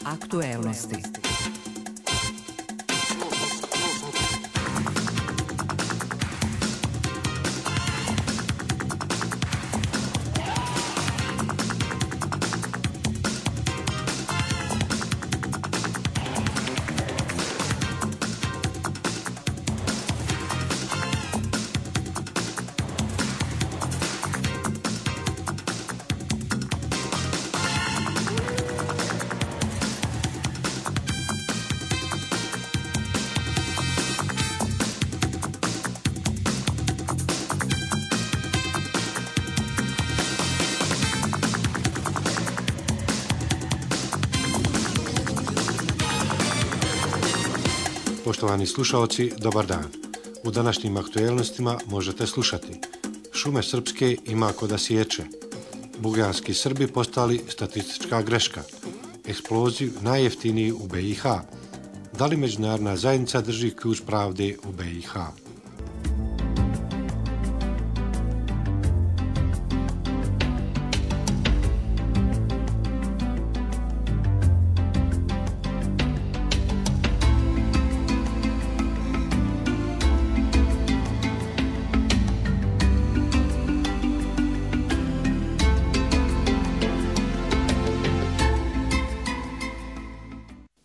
Aktuelnosti. Poštovani slušaoci, dobar dan. U današnjim aktuelnostima možete slušati: šume srpske ima ko da sječe, buganski Srbi postali statistička greška, eksploziv najjeftiniji u BiH, da li međunarodna zajednica drži ključ pravde u BiH.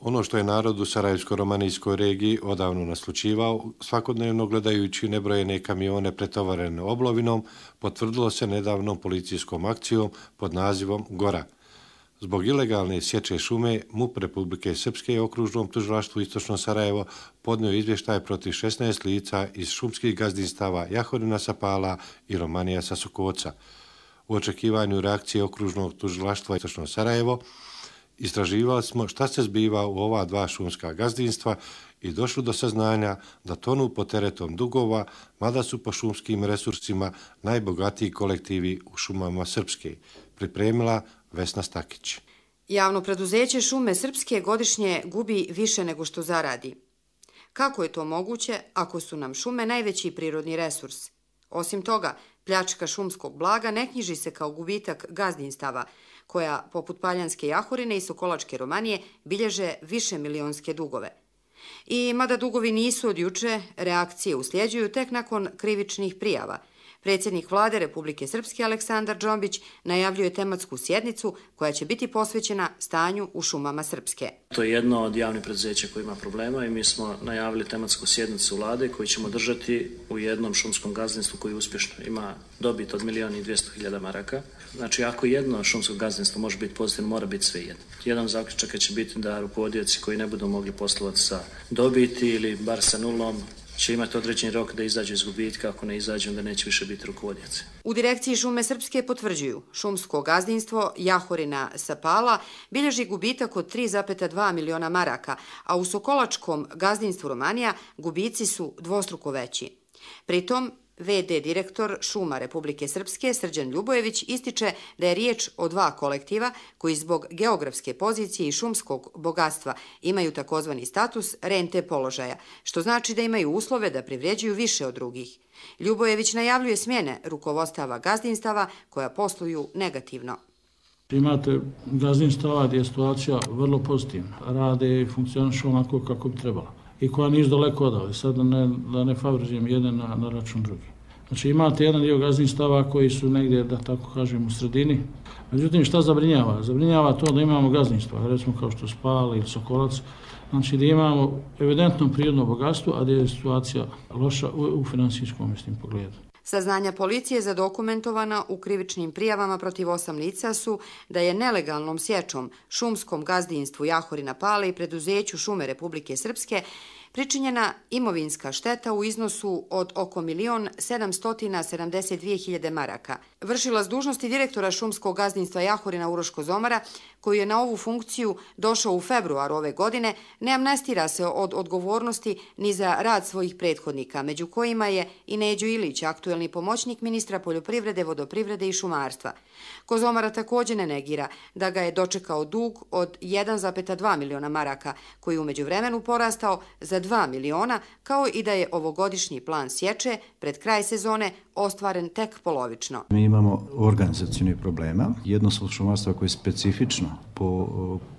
Ono što je narod u Sarajevsko-romanijskoj regiji odavno naslućivao, svakodnevno gledajući nebrojene kamione pretovarene oblovinom, potvrdilo se nedavnom policijskom akcijom pod nazivom Gora. Zbog ilegalne sječe šume, MUP Republike Srpske okružnom tužilaštvu Istočno Sarajevo podnio izvještaj protiv 16 lica iz šumskih gazdinstava Jahorina sa Pala i Romanija sa Sokoca. U očekivanju reakcije okružnog tužilaštva Istočno Sarajevo istraživali smo šta se zbiva u ova dva šumska gazdinstva i došli do saznanja da tonu pod teretom dugova, mada su po šumskim resursima najbogatiji kolektivi u šumama Srpske, pripremila Vesna Stakić. Javno preduzeće Šume Srpske godišnje gubi više nego što zaradi. Kako je to moguće ako su nam šume najveći prirodni resurs? Osim toga, pljačka šumskog blaga ne knjiži se kao gubitak gazdinstava, koja, poput Paljanske Jahorine i Sokolačke Romanije, bilježe više milionske dugove. I mada dugovi nisu od juče, reakcije usljeđuju tek nakon krivičnih prijava. Predsjednik Vlade Republike Srpske Aleksandar Džombić najavljuje tematsku sjednicu koja će biti posvećena stanju u šumama Srpske. To je jedno od javnih preduzeća koji ima problema i mi smo najavili tematsku sjednicu Vlade koju ćemo držati u jednom šumskom gazdinstvu koji uspješno ima dobit od 1.200.000 maraka. Znači, ako jedno šumsko gazdinstvo može biti pozitivno, mora biti sve jedno. Jedan zaključak će biti da rukovodioci koji ne budu mogli poslovati sa dobiti ili bar sa nulom će imati određeni rok da izađu iz gubitka, ako ne izađu onda neće više biti rukovodioci. U direkciji Šume Srpske potvrđuju, šumsko gazdinstvo Jahorina sa Pala bilježi gubitak od 3,2 miliona maraka, a u Sokolačkom gazdinstvu Romanija gubici su dvostruko veći. Pritom, VD direktor Šuma Republike Srpske Srđan Ljubojević ističe da je riječ o dva kolektiva koji zbog geografske pozicije i šumskog bogatstva imaju takozvani status rente položaja, što znači da imaju uslove da privređuju više od drugih. Ljubojević najavljuje smjene rukovodstava gazdinstava koja posluju negativno. Imate gazdinstava gdje je situacija vrlo pozitivna, rade i funkcionišu onako kako bi trebalo i koja nisu daleko odavde, sad da ne favorizujem jedan na račun drugi. Znači imate jedan dio gazdinstava koji su negdje, da tako kažem, u sredini. Međutim, šta zabrinjava? Zabrinjava to da imamo gazdinstva, recimo kao što Spal ili Sokolac, znači da imamo evidentno prirodno bogatstvo, a da je situacija loša u finansijskom pogledu. Saznanja policije zadokumentovana u krivičnim prijavama protiv 8 lica su da je nelegalnom sječom šumskom gazdinstvu Jahorina Pale i preduzeću Šume Republike Srpske pričinjena imovinska šteta u iznosu od oko 1.772.000 maraka. Vršilac dužnosti direktora šumskog gazdinstva Jahorina Uroš Kozomara, koji je na ovu funkciju došao u februaru ove godine, ne amnestira se od odgovornosti ni za rad svojih prethodnika, među kojima je i Neđo Ilić, aktuelni pomoćnik ministra poljoprivrede, vodoprivrede i šumarstva. Kozomara također ne negira da ga je dočekao dug od 1,2 miliona maraka, koji u međuvremenu porastao za 2 miliona, kao i da je ovogodišnji plan sječe pred kraj sezone ostvaren tek polovično. Mi imamo organizacijnih problema. Jedno su šumarstva koje je specifično po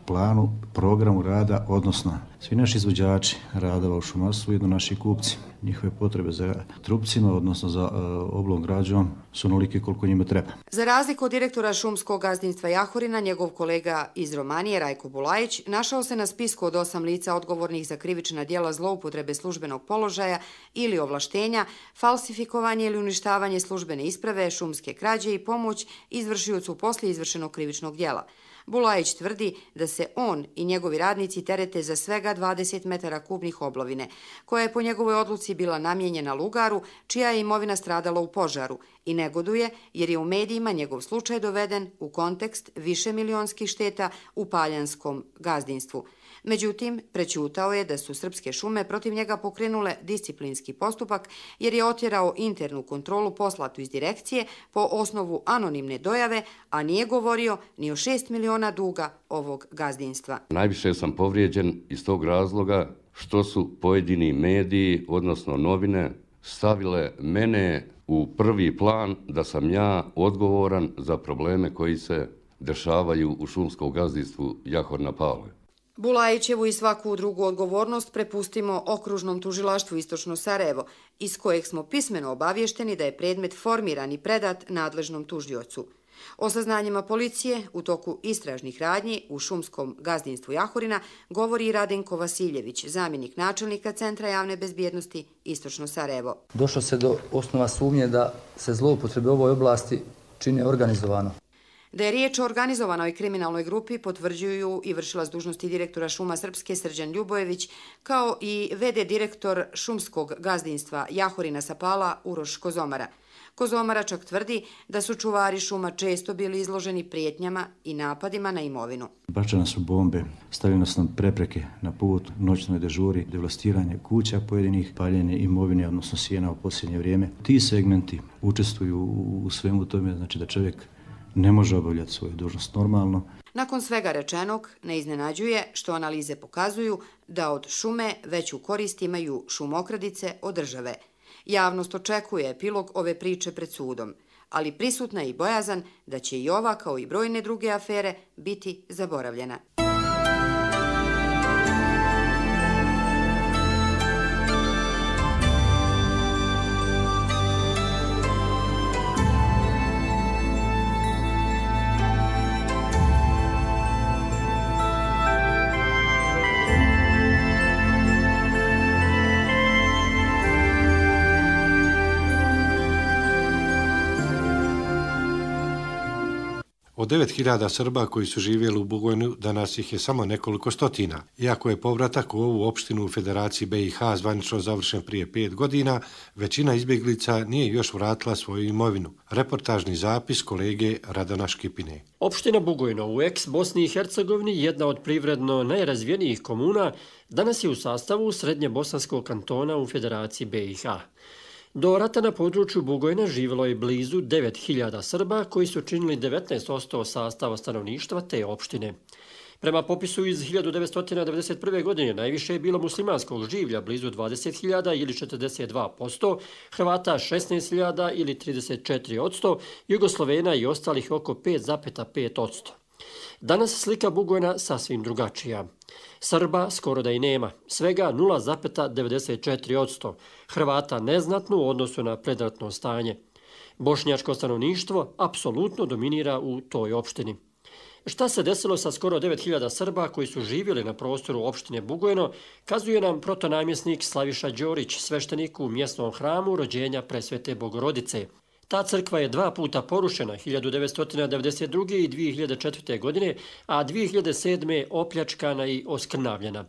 planu, programu rada, odnosno svi naši izvođači radova u šumarstvu, jedno naši kupci. Njihove potrebe za trupcima, odnosno za oblom građom, su onolike koliko njima treba. Za razliku od direktora šumskog gazdinstva Jahorina, njegov kolega iz Romanije, Rajko Bulajić, našao se na spisku od 8 lica odgovornih za krivična djela zloupotrebe službenog položaja ili ovlaštenja, falsifikovanje ili uništavanje službene isprave, šumske krađe i pomoć izvršiocu poslije izvršenog krivičnog djela. Bulajić tvrdi da se on i njegovi radnici terete za svega 20 metara kubnih oblovine, koja je po njegovoj odluci bila namijenjena lugaru, čija je imovina stradala u požaru, i negoduje jer je u medijima njegov slučaj doveden u kontekst višemilionskih šteta u Paljanskom gazdinstvu. Međutim, prećutao je da su Srpske šume protiv njega pokrenule disciplinski postupak jer je otjerao internu kontrolu poslatu iz direkcije po osnovu anonimne dojave, a nije govorio ni o 6 miliona duga ovog gazdinstva. Najviše sam povrijeđen iz tog razloga što su pojedini mediji, odnosno novine, stavile mene u prvi plan da sam ja odgovoran za probleme koji se dešavaju u šumskom gazdinstvu Jahor na Pavle. Bulajićevu i svaku drugu odgovornost prepustimo Okružnom tužilaštvu Istočno Sarajevo, iz kojeg smo pismeno obavješteni da je predmet formiran i predat nadležnom tužiocu. O saznanjima policije u toku istražnih radnji u šumskom gazdinstvu Jahorina govori i Radenko Vasiljević, zamjenik načelnika Centra javne bezbjednosti Istočno Sarajevo. Došlo se do osnova sumnje da se zloupotrebe u ovoj oblasti čine organizovano. Da je riječ o organizovanoj kriminalnoj grupi potvrđuju i vršilac dužnosti direktora šuma Srpske Srđan Ljubojević, kao i VD direktor šumskog gazdinstva Jahorina Sapala Uroš Kozomara. Kozomara čak tvrdi da su čuvari šuma često bili izloženi prijetnjama i napadima na imovinu. Bačene su bombe, stavljene su nam prepreke na put, noćnoj dežuri, devastiranje kuća pojedinih, paljenje imovine, odnosno sjena u posljednje vrijeme. Ti segmenti učestvuju u svemu tome, znači da čovjek ne može obavljati svoju dužnost normalno. Nakon svega rečenog, ne iznenađuje što analize pokazuju da od šume veću korist imaju šumokradice od države. Javnost očekuje epilog ove priče pred sudom, ali prisutna je i bojazan da će i ova, kao i brojne druge afere, biti zaboravljena. Od 9.000 Srba koji su živjeli u Bugojnu, danas ih je samo nekoliko stotina. Iako je povratak u ovu opštinu u Federaciji BiH zvanično završen prije 5 godina, većina izbjeglica nije još vratila svoju imovinu. Reportažni zapis kolege Radana Škipine. Opština Bugojno u ex-Bosni i Hercegovini, jedna od privredno najrazvijenijih komuna, danas je u sastavu Srednje Bosanskog kantona u Federaciji BiH. Do rata na području Bugojna živjelo je blizu 9.000 Srba koji su činili 19% sastava stanovništva te opštine. Prema popisu iz 1991. godine najviše je bilo muslimanskog življa blizu 20.000 ili 42%, Hrvata 16.000 ili 34%, Jugoslovena i ostalih oko 5,5%. Danas slika Bugojna sasvim drugačija. Srba skoro da i nema, svega 0,94%, Hrvata neznatno u odnosu na predratno stanje. Bošnjačko stanovništvo apsolutno dominira u toj opštini. Šta se desilo sa skoro 9.000 Srba koji su živjeli na prostoru opštine Bugojno, kazuje nam protonamjesnik Slaviša Đorić, sveštenik u mjesnom hramu rođenja Presvete Bogorodice. Ta crkva je 2 puta porušena, 1992. i 2004. godine, a 2007. opljačkana i oskrnavljena.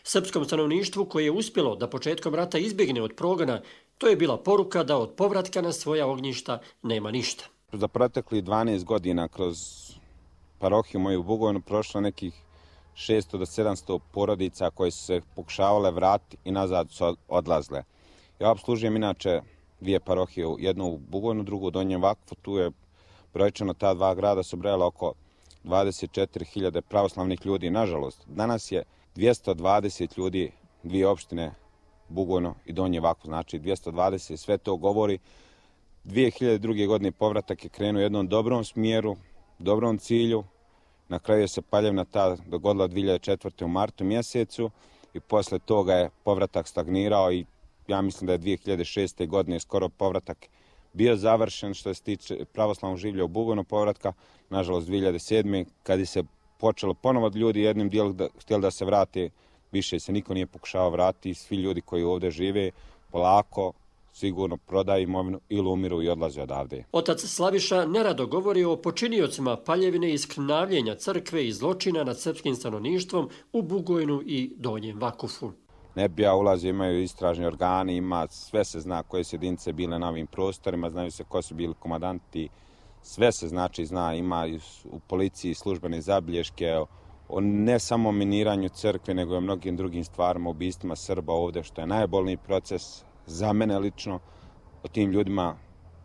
Srpskom stanovništvu koje je uspjelo da početkom rata izbjegne od progona, to je bila poruka da od povratka na svoja ognjišta nema ništa. Za protekli 12 godina kroz parohiju moju u Bugojnu prošlo nekih 600 do 700 porodica koje su se pokušavale vratiti i nazad su odlazle. Ja obslužujem inače 2 parohije, jednu u Bugojnu, drugu u Donjem Vakfu. Tu je brojčano ta 2 grada su brojala oko 24.000 pravoslavnih ljudi. Nažalost, danas je 220 ljudi, 2 opštine, Bugojno i Donji Vakfu, znači 220. Sve to govori 2002. godine povratak je krenuo u jednom dobrom smjeru, dobrom cilju. Na kraju se paljevna ta dogodila 2004. u martu mjesecu i posle toga je povratak stagnirao i ja mislim da je 2006. godine skoro povratak bio završen što se tiče pravoslavnog življa u Bugojnu povratka. Nažalost 2007. kad je se počelo ponovo ljudi jednim dijelom htjeli da se vrate, više se niko nije pokušao vratiti, svi ljudi koji ovdje žive polako sigurno prodaju imovinu ili umiru i odlaze odavde. Otac Slaviša nerado govori o počiniocima paljevine i skrnavljenja crkve i zločina nad srpskim stanovništvom u Bugojnu i Donjem Vakufu. Ne bi ja ulazio, imaju istražni organi, ima, sve se zna koje su jedinice bile na ovim prostorima, znaju se ko su bili komandanti, sve se zna, ima u policiji službene zabilješke, o ne samo miniranju crkve, nego i o mnogim drugim stvarima, ubistvima Srba ovdje, što je najbolniji proces za mene lično. O tim ljudima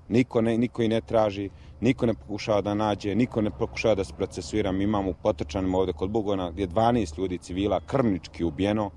niko i ne traži, niko ne pokušava da nađe, niko ne pokušava da se procesuira. Mi imamo u Potočanima ovdje kod Bugojna gdje 12 ljudi civila krvnički ubijeno,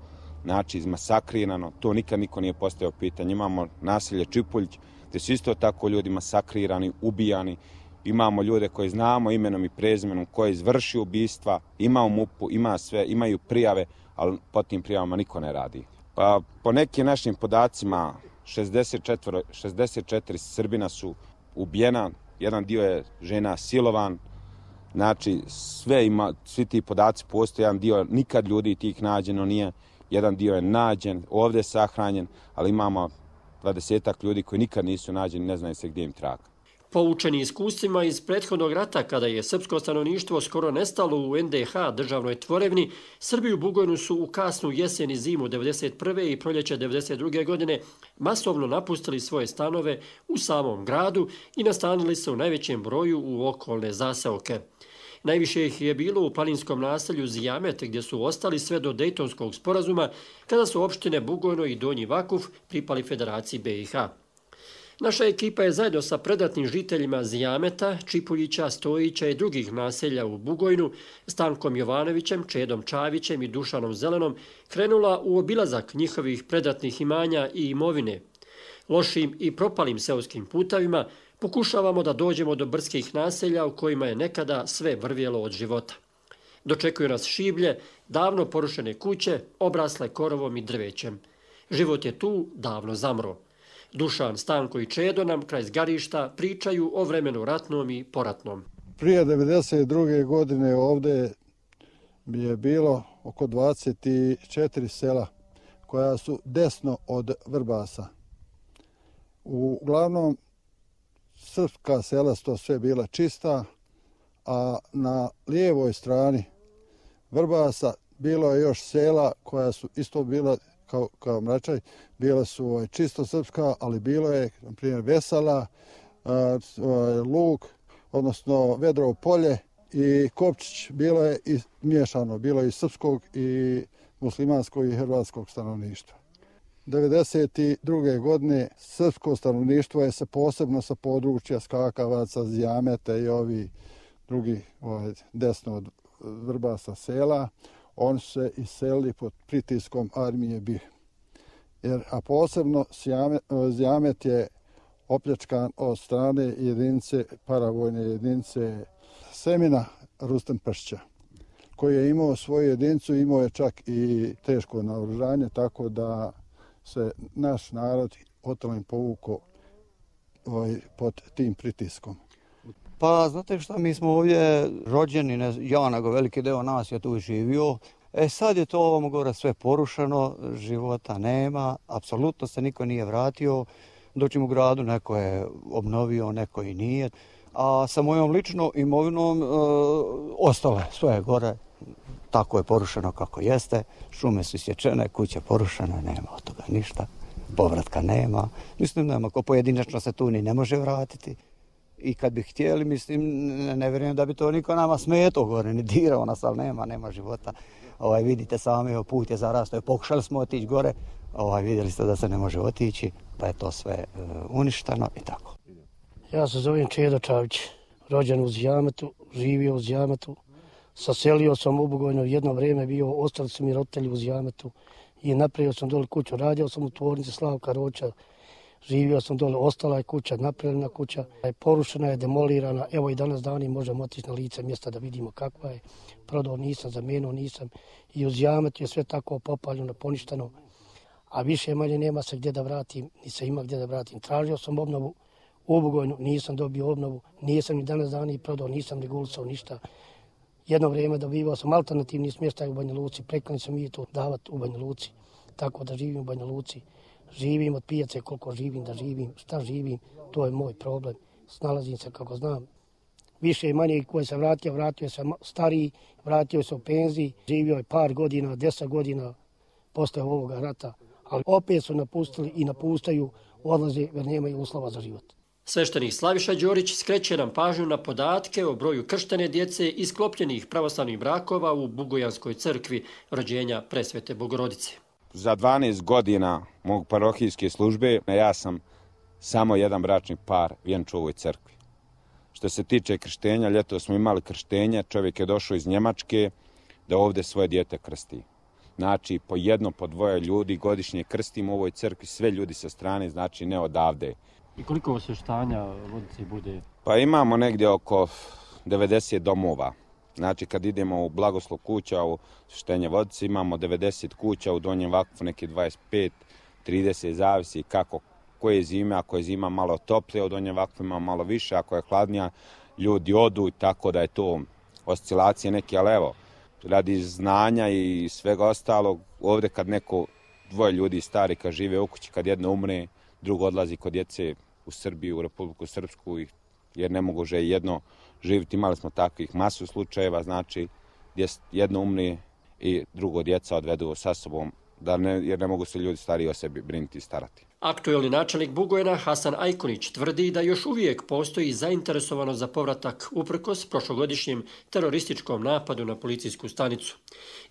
znači izmasakrirano, to nikad niko nije postavio pitanje. Imamo naselje Čipulj gdje su isto tako ljudi masakrirani, ubijani. Imamo ljude koje znamo imenom i prezimenom koji izvrši ubistva, ima u MUP-u, ima sve, imaju prijave, ali po tim prijavama niko ne radi. Pa po nekim našim podacima 64 Srbina su ubijena, jedan dio je žena silovan, znači svi ti podaci postoje, jedan dio nikad ljudi tih nađeno nije, jedan dio je nađen, ovdje sahranjen, ali imamo 20-ak ljudi koji nikad nisu nađeni, ne znaju se gdje im traga. Poučeni iskustvima iz prethodnog rata, kada je srpsko stanovništvo skoro nestalo u NDH državnoj tvorevni, Srbi u Bugojnu su u kasnu jesen i zimu 1991. i proljeće 1992. godine masovno napustili svoje stanove u samom gradu i nastanili se u najvećem broju u okolne zaseoke. Najviše ih je bilo u planinskom naselju Zijamet, gdje su ostali sve do Dejtonskog sporazuma, kada su opštine Bugojno i Donji Vakuf pripali Federaciji BiH. Naša ekipa je zajedno sa predatnim žiteljima Zijameta, Čipuljića, Stojića i drugih naselja u Bugojnu, Stankom Jovanovićem, Čedom Čavićem i Dušanom Zelenom, krenula u obilazak njihovih predatnih imanja i imovine. Lošim i propalim seoskim putavima pokušavamo da dođemo do brdskih naselja u kojima je nekada sve vrvjelo od života. Dočekuju nas šiblje, davno porušene kuće, obrasle korovom i drvećem. Život je tu davno zamro. Dušan, Stanko i Čedo nam kraj zgarišta pričaju o vremenu ratnom i poratnom. Prije 1992. godine ovdje bi je bilo oko 24 sela koja su desno od Vrbasa. Uglavnom, srpska sela su to sve bila čista, a na lijevoj strani Vrbasa bilo je još sela koja su isto bila kao Mračaj, bila su čisto srpska, ali bilo je, na primjer, Vesala, Lug, odnosno Vedrovo polje i Kopčić, bilo je i miješano, bilo je i srpskog i muslimanskog i hrvatskog stanovništva. 1992. godine srpsko stanovništvo je se posebno sa područja Skakavaca, Zijameta i ovi drugi desno od Vrbasa sela, oni su se iselili pod pritiskom armije BiH. A posebno Zijamet je opljačkan od strane jedinice, paravojne jedinice Semina Rustem Pršća, koji je imao svoju jedinicu, imao je čak i teško naoružanje, tako da se naš narod otelim povukao pod tim pritiskom. Pa znate šta, mi smo ovdje rođeni, ja nego veliki deo nas je tu živio. Sad je to ovom gore sve porušeno, života nema, apsolutno se niko nije vratio. Doćim u gradu, neko je obnovio, neko i nije. A sa mojom ličnom imovinom ostalo je sve gore, tako je porušeno kako jeste. Šume su isječene, kuće porušene, nema od toga ništa, povratka nema. Mislim, nema, ko pojedinačno se tu ni ne može vratiti. I kad bi htjeli, mislim, ne vjerujem da bi to niko nama smetao gore, ni dirao nas, ali nema života. Vidite sami, put je zarastao, pokušali smo otići gore, vidjeli ste da se ne može otići, pa je to sve uništeno i tako. Ja se zovem Čedo Čavić, rođen u Zijametu, živio u Zijametu, saselio sam u Bugojno, jedno vrijeme bio, ostali su mi roditelji u Zijametu i napravio sam dole kuću, radio sam u tvornici Slavka Roća, živio sam dole, ostala je kuća, napravljena kuća, porušena je, demolirana, evo i danas dani možemo otići na lice mjesta da vidimo kakva je. Prodao nisam, zamijenio nisam i uz Jametu je sve tako popaljeno, poništeno, a više manje nema se gdje da vratim, ni se ima gdje da vratim. Tražio sam obnovu u Bugojnu, nisam dobio obnovu, nisam ni danas dani prodao, nisam regulisao ništa. Jedno vrijeme dobivao sam alternativni smještaj u Banja Luci, preklani sam i to davati u Banja Luci, tako da živim u Banja Luci. Živim od pijace koliko živim da živim, šta živim, to je moj problem. Snalazim se kako znam. Više i manje koji se vratio se stariji, vratio se u penziji, živio je par godina, 10 godina posle ovoga rata, ali opet su napustili i napuštaju, odlaze jer nemaju uslova za život. Sveštenik Slaviša Đorić skreće nam pažnju na podatke o broju krštene djece i sklopljenih pravoslavnih brakova u Bugojanskoj crkvi rođenja Presvete Bogorodice. Za 12 godina mog parohijske službe ja sam samo jedan bračni par vjenčao u ovoj crkvi. Što se tiče krštenja, ljeto smo imali krštenje, čovjek je došao iz Njemačke da ovdje svoje dijete krsti. Znači, po jedno, po dvoje ljudi godišnje krstimo u ovoj crkvi, sve ljudi sa strane, znači ne odavde. I koliko osvještanja vodice bude? Pa imamo negdje oko 90 domova. Znači, kad idemo u blagoslov kuća, u osvještenje vodice, imamo 90 kuća, u Donjem Vakfu neki 25, 30, zavisi kako koje je zime. Ako je zima malo toplije, u Donjem Vakfu ima malo više, ako je hladnija, ljudi odu, tako da je to oscilacije neke, ali evo, radi znanja i svega ostalog, ovdje kad neko dvoje ljudi stari kad žive u kući, kad jedno umre, drugo odlazi kod djece u Srbiju, u Republiku Srpsku, jer ne mogu jedno živjeti. Imali smo takvih masu slučajeva, znači gdje jedno umre i drugo djeca odvedu sa sobom, jer ne mogu se ljudi stariji o sebi brinuti i starati. Aktuelni načelnik Bugojna Hasan Ajkonić tvrdi da još uvijek postoji zainteresovanost za povratak uprkos prošlogodišnjem terorističkom napadu na policijsku stanicu.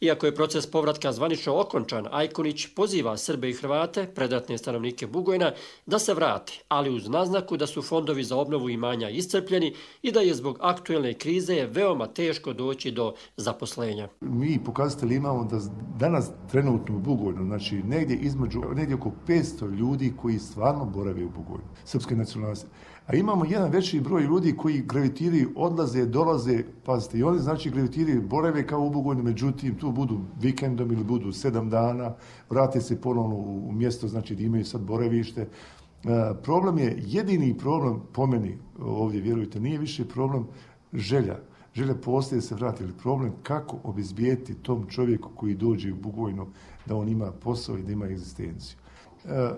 Iako je proces povratka zvanično okončan, Ajkonić poziva Srbe i Hrvate, predratne stanovnike Bugojna, da se vrate, ali uz naznaku da su fondovi za obnovu imanja iscrpljeni i da je zbog aktuelne krize veoma teško doći do zaposlenja. Mi pokazatelji imamo da danas trenutno u Bugojnu, znači negdje oko 500 ljudi koji stvarno borave u Bugojnu, srpske nacionalnosti. A imamo jedan veći broj ljudi koji gravitiraju, odlaze, dolaze, pazite, i oni znači gravitiraju, borave kao u Bugojnu, međutim tu budu vikendom ili budu 7 dana, vrate se ponovno u mjesto, znači da imaju sad boravište. Problem je, jedini problem po meni, ovdje vjerujte, nije više problem želja. Želja postoje se vrati, ali problem kako obezbijeti tom čovjeku koji dođe u Bugojnu da on ima posao i da ima egzistenciju.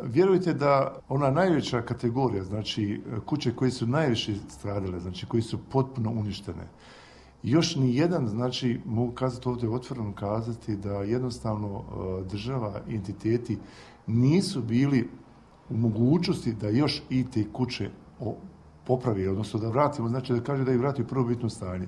Vjerujte da ona najveća kategorija, znači kuće koje su najviše stradale, znači koji su potpuno uništene, još ni jedan, znači mogu kazati ovdje otvoreno kazati da jednostavno država i entiteti nisu bili u mogućnosti da još i te kuće popravi, odnosno da vratimo, znači da kaže da ih vrati u prvobitno stanje.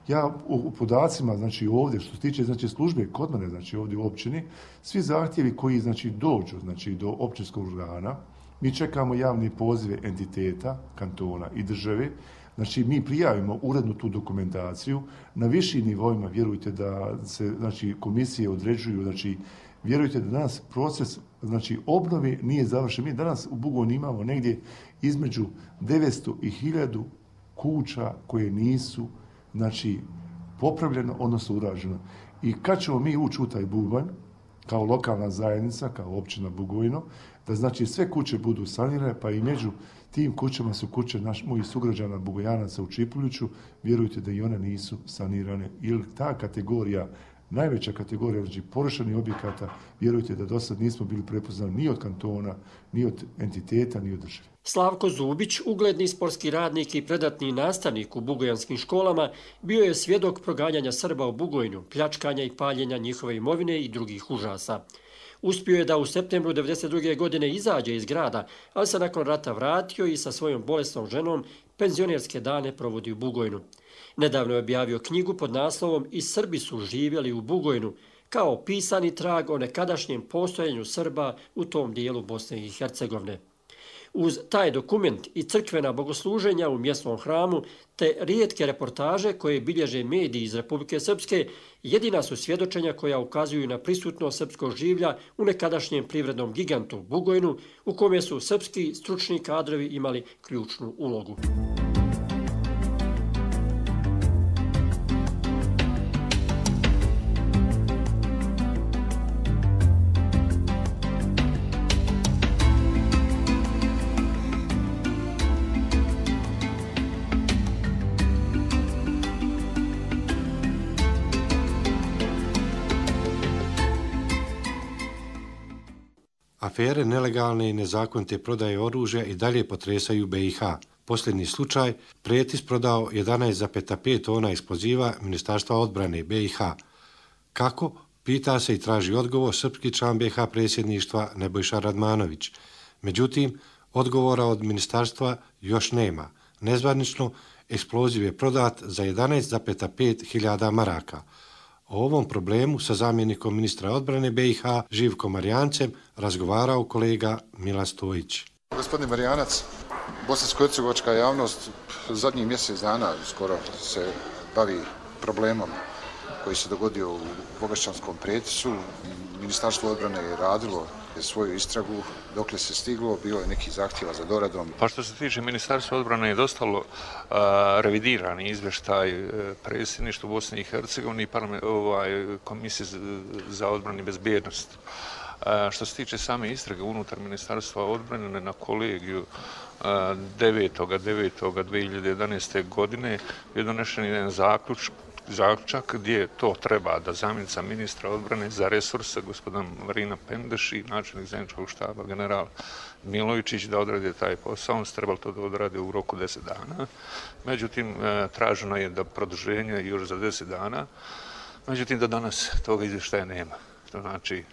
Ja u podacima, znači ovdje, što se tiče znači, službe kod mene, znači ovdje u općini, svi zahtjevi koji znači, dođu znači, do općinskog organa, mi čekamo javne pozive entiteta, kantona i države, znači mi prijavimo urednu tu dokumentaciju, na višim nivoima vjerujte da se znači, komisije određuju, znači vjerujte da danas proces znači, obnove nije završen. Mi danas u Bugojnu imamo negdje između 900 i 1000 kuća koje nisu znači, popravljeno, odnosno urađeno. I kad ćemo mi ući u taj Bubanj, kao lokalna zajednica, kao općina Bugojno, da znači sve kuće budu sanirane, pa i među tim kućama su kuće mojih sugrađana Bugojanaca u Čipuljuću, vjerujte da i one nisu sanirane. Ili ta kategorija, najveća kategorija znači porušenih objekata, vjerujte da do sad nismo bili prepoznani ni od kantona, ni od entiteta, ni od države. Slavko Zubić, ugledni sportski radnik i predatni nastavnik u bugojanskim školama, bio je svjedok proganjanja Srba u Bugojnu, pljačkanja i paljenja njihove imovine i drugih užasa. Uspio je da u septembru 1992. godine izađe iz grada, ali se nakon rata vratio i sa svojom bolesnom ženom penzionerske dane provodi u Bugojnu. Nedavno je objavio knjigu pod naslovom "I Srbi su živjeli u Bugojnu", kao pisani trag o nekadašnjem postojanju Srba u tom dijelu Bosne i Hercegovine. Uz taj dokument i crkvena bogosluženja u mjesnom hramu te rijetke reportaže koje bilježe mediji iz Republike Srpske jedina su svjedočenja koja ukazuju na prisutnost srpskog življa u nekadašnjem privrednom gigantu Bugojnu u kome su srpski stručni kadrovi imali ključnu ulogu. Afere nelegalne i nezakonite prodaje oružja i dalje potresaju BiH. Posljednji slučaj, Pretis prodao 11,5 tona eksploziva Ministarstva odbrane BiH. Kako? Pita se i traži odgovor srpski član BiH predsjedništva Nebojša Radmanović. Međutim, odgovora od ministarstva još nema. Nezvanično, eksploziv je prodat za 11,5 hiljada maraka. O ovom problemu sa zamjenikom ministra odbrane BiH Živkom Marijancem razgovarao kolega Milan Stojić. Gospodin Marijanac, bosansko-hercegovačka javnost zadnjih mjesec dana skoro se bavi problemom koji se dogodio u Bogašćanskom Pretisu. Ministarstvo odbrane je radilo svoju istragu, dokle se stiglo, bilo je neki zahtjeva za doradom. Pa što se tiče Ministarstva odbrane je dostalo revidirani izvještaj predsjedništva Bosne i Hercegovine i Komisije za odbranu i bezbjednost. Što se tiče same istrage unutar Ministarstva odbrane na kolegiju 9.9.2011. godine je donešen jedan zaključak gdje to treba da zamjenica ministra odbrane za resurse gospodin Marina Pendeš i načelnik zajedničkog štaba general Milojičić da odrade taj posao. On se trebalo to da odrade u roku 10 dana. Međutim, traženo je da produženje još za 10 dana. Međutim, do danas toga izvještaja nema. To znači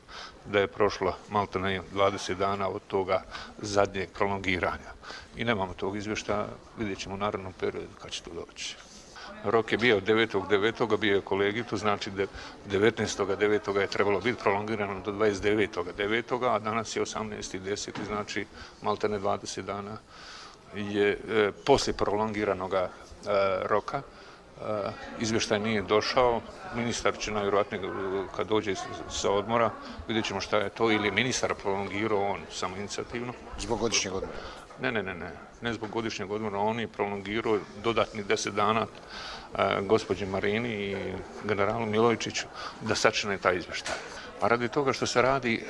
da je prošlo maltene 20 dana od toga zadnjeg prolongiranja. I nemamo tog izvještaja, vidjet ćemo u narednom periodu kad će to doći. Rok je bio 9.9. bio je kolegij, to znači da 19.9. je trebalo biti prolongirano do 29.9. a danas je 18.10. znači maltene 20 dana je poslije prolongiranog roka. Izvještaj nije došao, ministar će najvjerojatnije kad dođe sa odmora, vidjet ćemo šta je to, ili je ministar prolongirao on samoinicijativno. Zbog godišnjeg odmora? Ne zbog godišnjeg odmora, on je prolongirao dodatnih 10 dana gospođi Marini i generalu Milojičiću da sačine taj izvještaj. A radi toga što se radi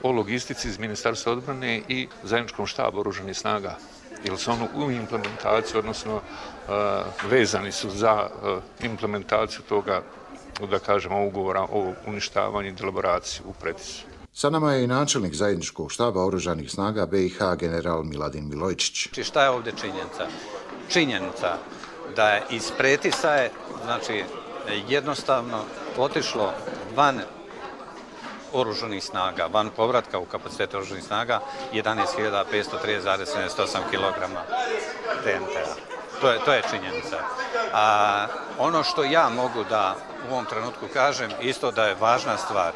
o logistici iz Ministarstva odbrane i zajedničkom štabu oružanih snaga, jer su ono u implementaciji, odnosno vezani su za implementaciju toga, da kažemo, ugovora o uništavanju i delaboraciji u Pretisu. Sa nama je i načelnik zajedničkog štaba oružanih snaga BiH general Miladin Milojičić. Šta je ovdje činjenica? Činjenica da je iz Pretisa je, znači, jednostavno otišlo van oružanih snaga, van povratka u kapacitet oružanih snaga 11.503,78 kg TNT-a. To je činjenica. A ono što ja mogu da u ovom trenutku kažem, isto da je važna stvar,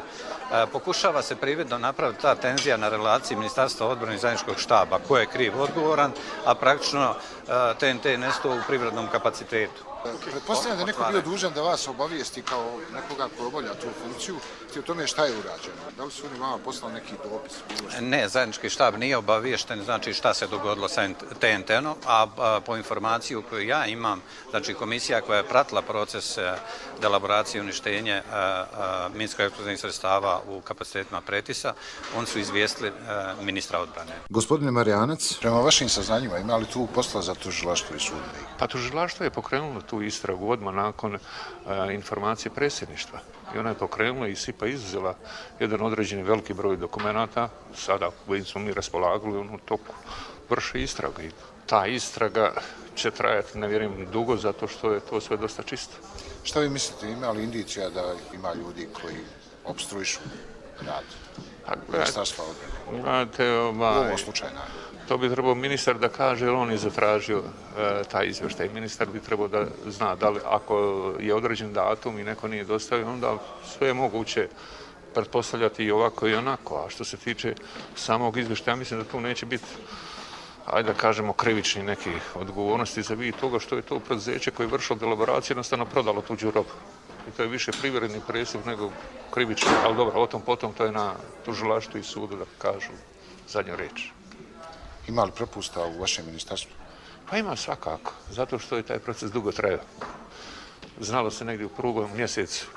pokušava se prividno napraviti ta tenzija na relaciji Ministarstva odbrane i zajedničkog štaba, ko je kriv odgovoran, a praktično TNT nestao u privrednom kapacitetu. Pretpostavljam da je neko bio dužan da vas obavijesti kao nekoga ko obavlja tu funkciju i o tome šta je urađeno. Da li su oni vama poslali neki dopis? Ne, zajednički štab nije obaviješten, znači šta se dogodilo sa TNT-om, a po informaciju koju ja imam, znači komisija koja je pratila proces delaboracije i uništenje minsko-eksplozivnih sredstava u kapacitetima Pretisa, oni su izvijestili ministra odbrane. Gospodine Marijanac, prema vašim saznanjima ima li tu posla za tužilaštvo i sud? Pa tužilaštvo je pokrenulo tu istragu odmah nakon informacije predsjedništva. I ona je pokrenula i SIPA izuzela jedan određeni veliki broj dokumenata. Sada kojim smo mi raspolagali, u toku vrše istraga. I ta istraga će trajati, ne vjerujem, dugo, zato što je to sve dosta čisto. Šta vi mislite, ima li indicija da ima ljudi koji opstruišu rad Ministarstva odbrane? U ovom slučaju, to bi trebao ministar da kaže, jer on je zatražio taj izvještaj. Ministar bi trebao da zna da li ako je određen datum i neko nije dostavio, onda sve je moguće pretpostavljati i ovako i onako. A što se tiče samog izvještaja, mislim da tu neće biti, ajde da kažemo, krivični nekih odgovornosti za vid toga što je to preduzeće koje je vršilo delaboraciju jednostavno prodalo tuđu robu. I to je više privredni prestup nego krivični, ali dobro, o tom potom to je na tužilaštvu i sudu da kažu zadnju riječ. Ima li propusta u vašem ministarstvu? Pa ima svakako, zato što je taj proces dugo trajao. Znalo se negdje u prvom mjesecu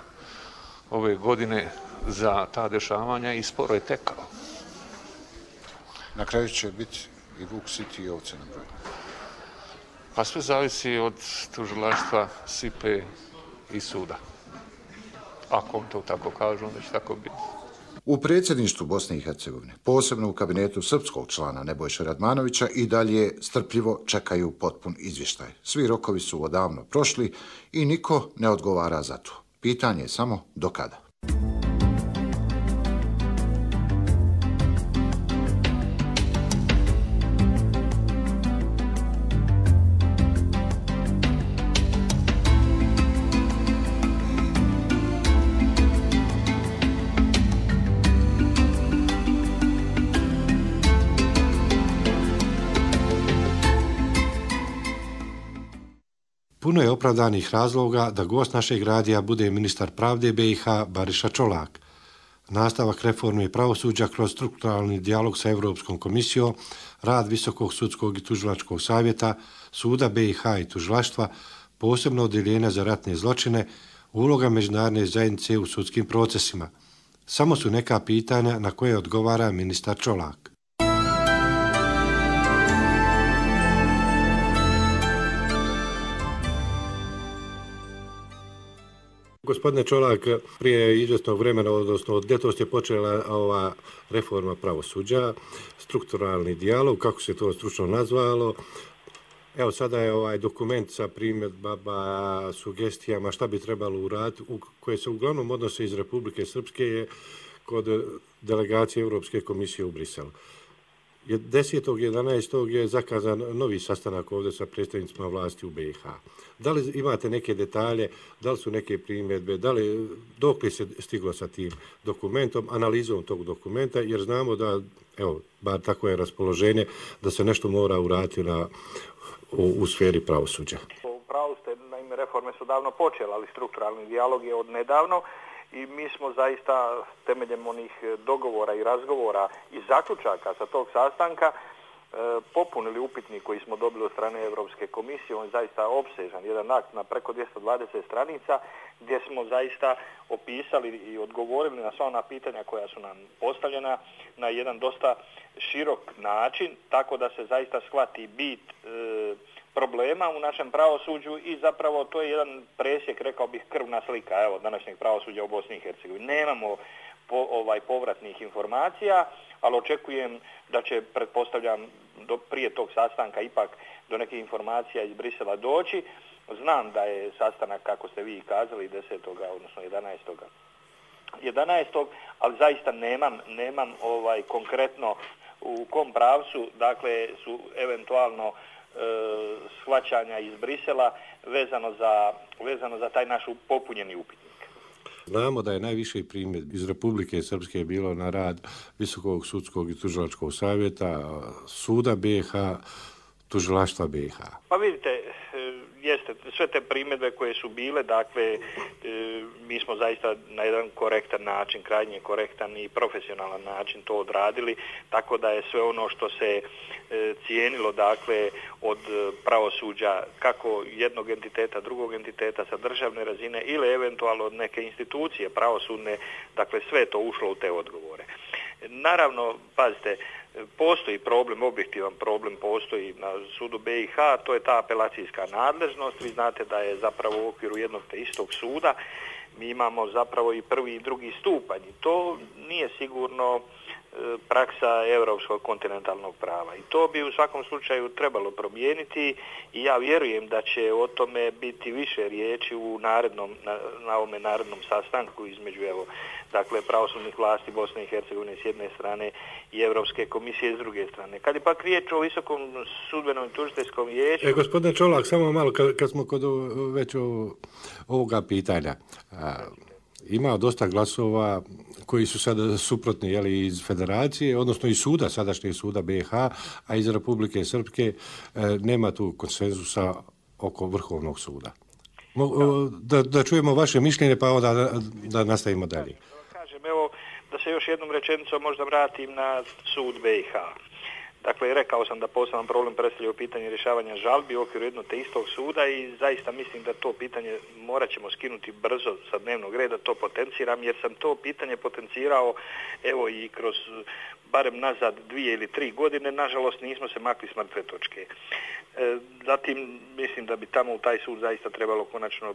ove godine za ta dešavanja i sporo je tekao. Na kraju će biti i vuk siti i ovce na broju. Pa sve zavisi od tužilaštva, SIPE i suda. Ako on to tako kaže, onda će tako biti. U predsjedništvu Bosne i Hercegovine, posebno u kabinetu srpskog člana Nebojše Radmanovića, i dalje strpljivo čekaju potpun izvještaj. Svi rokovi su odavno prošli i niko ne odgovara za to. Pitanje je samo do kada. Puno je opravdanih razloga da gost našeg radija bude ministar pravde BiH Bariša Čolak. Nastavak reforme pravosuđa kroz strukturalni dijalog sa Europskom komisijom, rad Visokog sudskog i tužilačkog savjeta, suda BiH i tužilaštva, posebno odjeljenja za ratne zločine, uloga međunarodne zajednice u sudskim procesima. Samo su neka pitanja na koje odgovara ministar Čolak. Gospodine Čolak, prije izvjesnog vremena, odnosno od ljetos je počela ova reforma pravosuđa, strukturalni dijalog, kako se to stručno nazvalo. Evo sada je ovaj dokument sa primjedbama, sugestijama šta bi trebalo uraditi, koje se uglavnom odnose iz Republike Srpske, je kod delegacije Europske komisije u Briselu. 10.11. je zakazan novi sastanak ovdje sa predstavnicima vlasti u BiH. Da li imate neke detalje, da li su neke primjedbe, dok li se stiglo sa tim dokumentom, analizom tog dokumenta, jer znamo da, evo, bar tako je raspoloženje, da se nešto mora uraditi u sferi pravosuđa. U pravu ste, naime, reforme su davno počele, ali strukturalni dijalog je od nedavno. I mi smo zaista temeljem onih dogovora i razgovora i zaključaka sa tog sastanka popunili upitnik koji smo dobili od strane Europske komisije. On je zaista opsežan, jedan akt na preko 220 stranica gdje smo zaista opisali i odgovorili na sva ona pitanja koja su nam postavljena na jedan dosta širok način, tako da se zaista shvati bit problema u našem pravosuđu i zapravo to je jedan presjek, rekao bih, krvna slika današnjeg pravosuđa u Bosni i Hercegovini. Nemamo povratnih informacija, ali očekujem da će, pretpostavljam, prije tog sastanka ipak do nekih informacija iz Brisela doći. Znam da je sastanak, kako ste vi kazali, 10. odnosno 11. ali zaista nemam konkretno u kom pravcu, dakle, su eventualno shvaćanja iz Brisela vezano za taj naš popunjeni upitnik. Znamo da je najviše primjedbi iz Republike Srpske bilo na rad Visokog sudskog i tužilačkog savjeta, suda BiH, tužilaštva BiH. Pa vidite, jeste, sve te primjedbe koje su bile, dakle, mi smo zaista na jedan korektan način, krajnje korektan i profesionalan način to odradili, tako da je sve ono što se cijenilo, dakle, od pravosuđa, kako jednog entiteta, drugog entiteta sa državne razine ili eventualno od neke institucije pravosudne, dakle, sve to ušlo u te odgovore. Naravno, pazite, postoji problem, objektivan problem postoji na sudu BiH, to je ta apelacijska nadležnost. Vi znate da je zapravo u okviru jednog te istog suda mi imamo zapravo i prvi i drugi stupanj. I to nije sigurno praksa europskog kontinentalnog prava. I to bi u svakom slučaju trebalo promijeniti i ja vjerujem da će o tome biti više riječi na ovome narednom sastanku između dakle, pravosudnih vlasti Bosne i Hercegovine s jedne strane i Europske komisije s druge strane. Kad je pak riječ o Visokom sudbenom i tužiteljskom vijeću... Gospodine Čolak, samo malo kad smo kod već ovoga pitanja. ima dosta glasova koji su sada suprotni iz federacije, odnosno iz suda, sadašnjeg suda BiH, a iz Republike Srpske nema tu konsenzusa oko Vrhovnog suda. Da čujemo vaše mišljenje, pa onda da nastavimo dalje. Kažem, evo, da se još jednom rečenicom možda vratim na sud BiH. Dakle, rekao sam da poseban problem predstavlja pitanje rješavanja žalbi u okviru jednog te istog suda i zaista mislim da to pitanje morat ćemo skinuti brzo sa dnevnog reda, to potenciram, jer sam to pitanje potencirao evo i kroz barem nazad 2 ili 3 godine, nažalost nismo se makli s mrtve točke. Zatim mislim da bi tamo u taj sud zaista trebalo konačno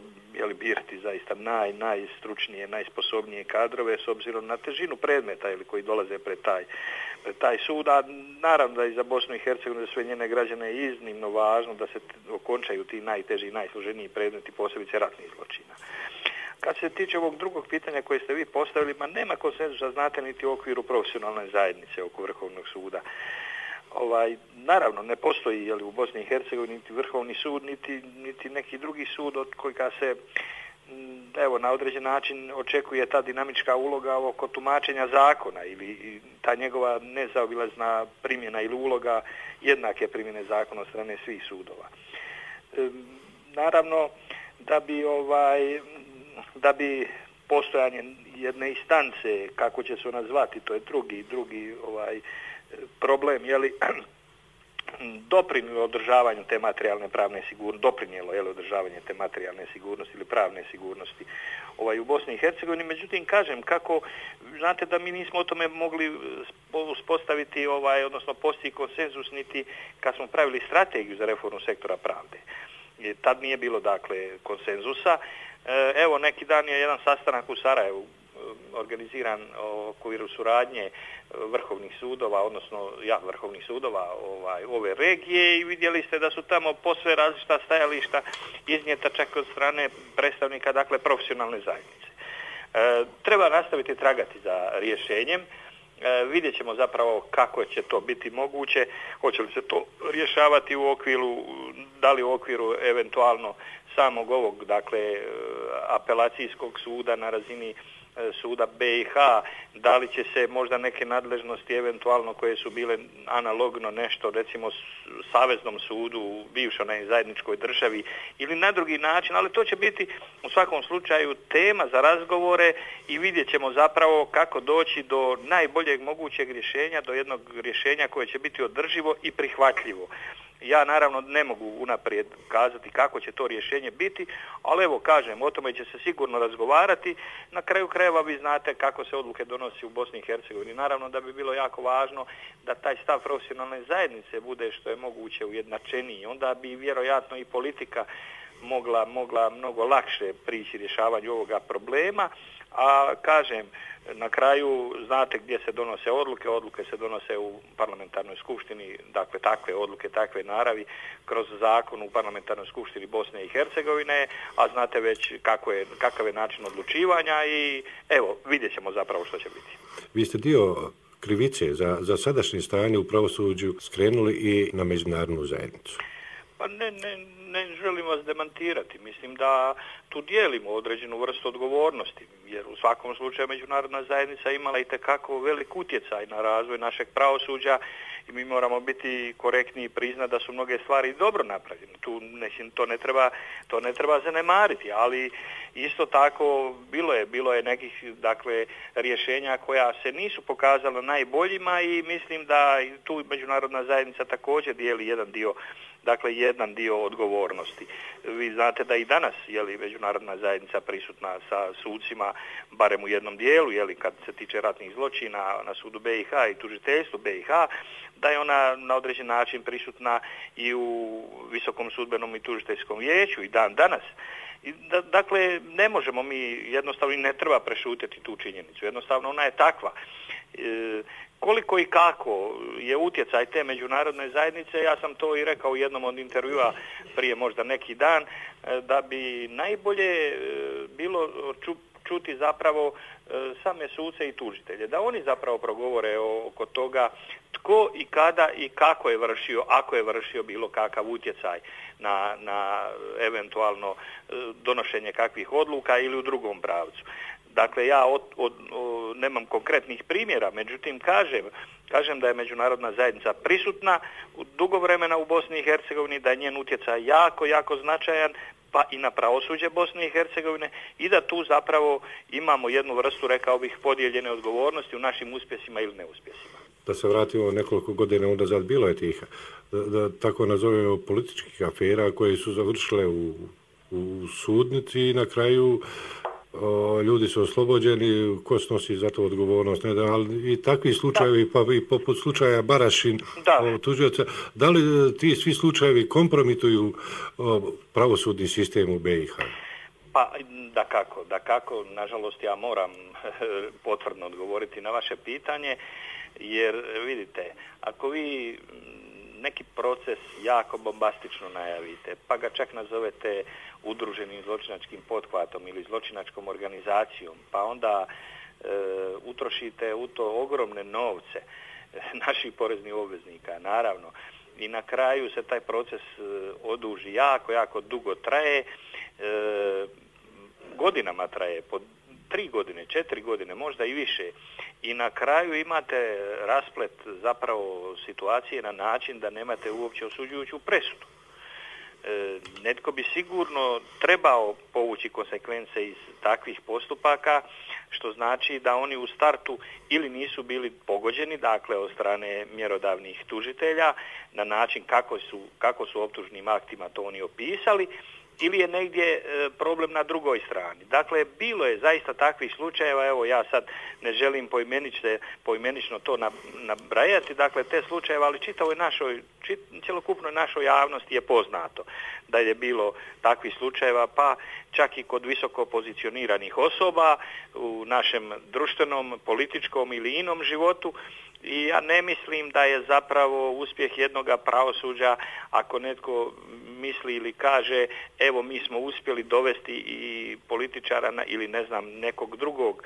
birati zaista najstručnije, najsposobnije kadrove s obzirom na težinu predmeta koji dolaze pred taj sud, a naravno da i za Bosnu i Hercegovinu, za sve njene građane je iznimno važno da se okončaju ti najteži i najsloženiji predmeti, posebice ratnih zločina. Kad se tiče ovog drugog pitanja koje ste vi postavili, nema konsenzusa, znate, niti u okviru profesionalne zajednice oko Vrhovnog suda. Naravno, ne postoji u Bosni i Hercegovini niti Vrhovni sud, niti neki drugi sud od kojega se na određen način očekuje ta dinamička uloga oko tumačenja zakona ili ta njegova nezaobilazna primjena ili uloga jednake primjene zakona od strane svih sudova. Naravno, da bi postojanje jedne instance, kako će se ona zvati, to je drugi problem, doprinijelo održavanju te materijalne pravne sigurnosti, održavanje te materijalne sigurnosti ili pravne sigurnosti u Bosni i Hercegovini. Međutim, kažem, kako, znate da mi nismo o tome mogli uspostaviti, odnosno postići konsenzus niti kad smo pravili strategiju za reformu sektora pravde. Tad nije bilo, konsenzusa. Evo, neki dan je jedan sastanak u Sarajevu organiziran u okviru suradnje vrhovnih sudova, odnosno vrhovnih sudova ove regije i vidjeli ste da su tamo posve različita stajališta iznijeta čak od strane predstavnika, profesionalne zajednice. Treba nastaviti tragati za rješenjem. Vidjet ćemo zapravo kako će to biti moguće, hoće li se to rješavati da li u okviru eventualno samog ovog, apelacijskog suda na razini suda BiH, da li će se možda neke nadležnosti eventualno koje su bile analogno nešto, recimo Saveznom sudu u bivšoj zajedničkoj državi ili na drugi način, ali to će biti u svakom slučaju tema za razgovore i vidjet ćemo zapravo kako doći do najboljeg mogućeg rješenja, do jednog rješenja koje će biti održivo i prihvatljivo. Ja naravno ne mogu unaprijed kazati kako će to rješenje biti, ali evo kažem, o tome će se sigurno razgovarati. Na kraju krajeva vi znate kako se odluke donosi u Bosni i Hercegovini. Naravno da bi bilo jako važno da taj stav profesionalne zajednice bude što je moguće ujednačeniji. Onda bi vjerojatno i politika mogla mnogo lakše prići rješavanju ovoga problema, a kažem, na kraju znate gdje se donose odluke se donose u parlamentarnoj skupštini, takve odluke, takve naravi kroz zakon u parlamentarnoj skupštini Bosne i Hercegovine, a znate već kakav je način odlučivanja i evo, vidjet ćemo zapravo što će biti. Vi ste dio krivice za sadašnje stanje u pravosuđu skrenuli i na međunarodnu zajednicu. Pa ne želim vas demantirati. Mislim da tu dijelimo određenu vrstu odgovornosti, jer u svakom slučaju međunarodna zajednica imala itekako velik utjecaj na razvoj našeg pravosuđa i mi moramo biti korektni i priznati da su mnoge stvari dobro napravljene. To ne treba zanemariti, ali isto tako bilo je nekih rješenja koja se nisu pokazala najboljima i mislim da tu međunarodna zajednica također dijeli jedan dio odgovornosti. Vi znate da i danas međunarodna zajednica prisutna sa sucima, barem u jednom dijelu, kad se tiče ratnih zločina na sudu BiH i tužiteljstvu BiH, da je ona na određen način prisutna i u Visokom sudbenom i tužiteljskom vijeću i dan danas. Dakle, ne možemo mi jednostavno i ne treba prešutiti tu činjenicu. Jednostavno ona je takva. Koliko i kako je utjecaj te međunarodne zajednice, ja sam to i rekao u jednom od intervjua prije možda neki dan, da bi najbolje bilo čuti zapravo same suce i tužitelje, da oni zapravo progovore oko toga tko i kada i kako je vršio, ako je vršio bilo kakav utjecaj na eventualno donošenje kakvih odluka ili u drugom pravcu. Dakle, ja nemam konkretnih primjera, međutim kažem da je međunarodna zajednica prisutna dugo vremena u Bosni i Hercegovini, da je njen utjecaj jako, jako značajan, pa i na pravosuđe Bosne i Hercegovine i da tu zapravo imamo jednu vrstu, rekao bih, podijeljene odgovornosti u našim uspjesima ili neuspjesima. Da se vratimo nekoliko godina unazad, bilo je tih, da tako nazovemo, političkih afera koje su završile u sudnici i na kraju ljudi su oslobođeni, ko snosi za to odgovornost, ne da, ali i takvi slučajevi, pa i poput slučaja Barašin, tužioca, da li ti svi slučajevi kompromituju pravosudni sistem u BiH? Pa, da kako, nažalost ja moram potvrdno odgovoriti na vaše pitanje, jer vidite, ako vi neki proces jako bombastično najavite, pa ga čak nazovete udruženim zločinačkim pothvatom ili zločinačkom organizacijom, pa onda utrošite u to ogromne novce naših poreznih obveznika, naravno, i na kraju se taj proces oduži jako, jako dugo traje, godinama traje, po 3 godine, 4 godine, možda i više. I na kraju imate rasplet zapravo situacije na način da nemate uopće osuđujuću presudu. Netko bi sigurno trebao povući konsekvence iz takvih postupaka, što znači da oni u startu ili nisu bili pogođeni, dakle od strane mjerodavnih tužitelja, na način kako su optužnim aktima to oni opisali, ili je negdje problem na drugoj strani. Dakle, bilo je zaista takvih slučajeva, evo ja sad ne želim poimenično to nabrajati, dakle te slučajeve, ali cjelokupnoj našoj javnosti je poznato da je bilo takvih slučajeva, pa čak i kod visoko pozicioniranih osoba u našem društvenom, političkom ili inom životu. I ja ne mislim da je zapravo uspjeh jednoga pravosuđa ako netko misli ili kaže evo mi smo uspjeli dovesti i političara ili ne znam nekog drugog